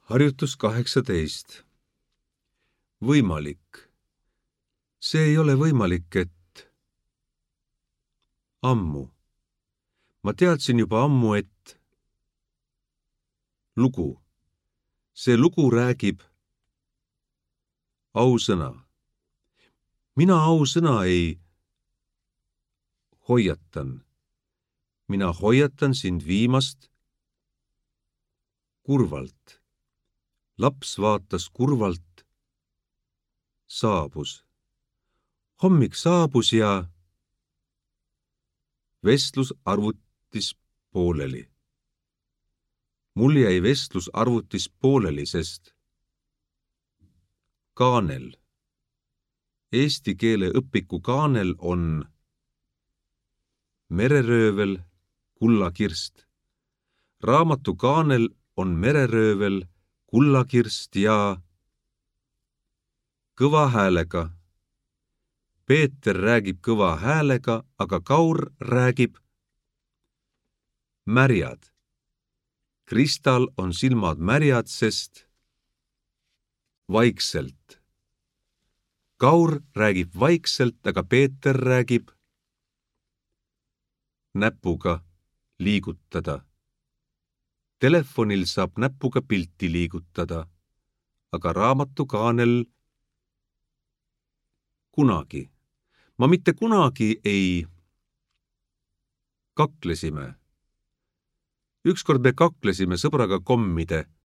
Harjutus 18. Võimalik. See ei ole võimalik, et ammu. Ma teadsin juba ammu, et lugu. See lugu räägib ausõna. Mina ausõna ei hoiatan. Mina hoiatan sind viimast kurvalt. Laps vaatas kurvalt. Saabus. Hommik saabus ja vestlus arvutis pooleli. Mul jäi vestlus arvutis pooleli, sest kaanel. Eesti keele õpiku kaanel on mereröövel kullakirst. Raamatu kaanel on mereröövel kullakirst ja kõva häälega. Peeter räägib kõva häälega, aga Kaur räägib märjad. Kristal on silmad märjad, sest vaikselt. Kaur räägib vaikselt, aga Peeter räägib näpuga liigutada. Telefonil saab näpuga pilti liigutada, aga raamatu kaanel kunagi. Ma mitte kunagi ei kaklesime. Ükskord me kaklesime sõbraga kommide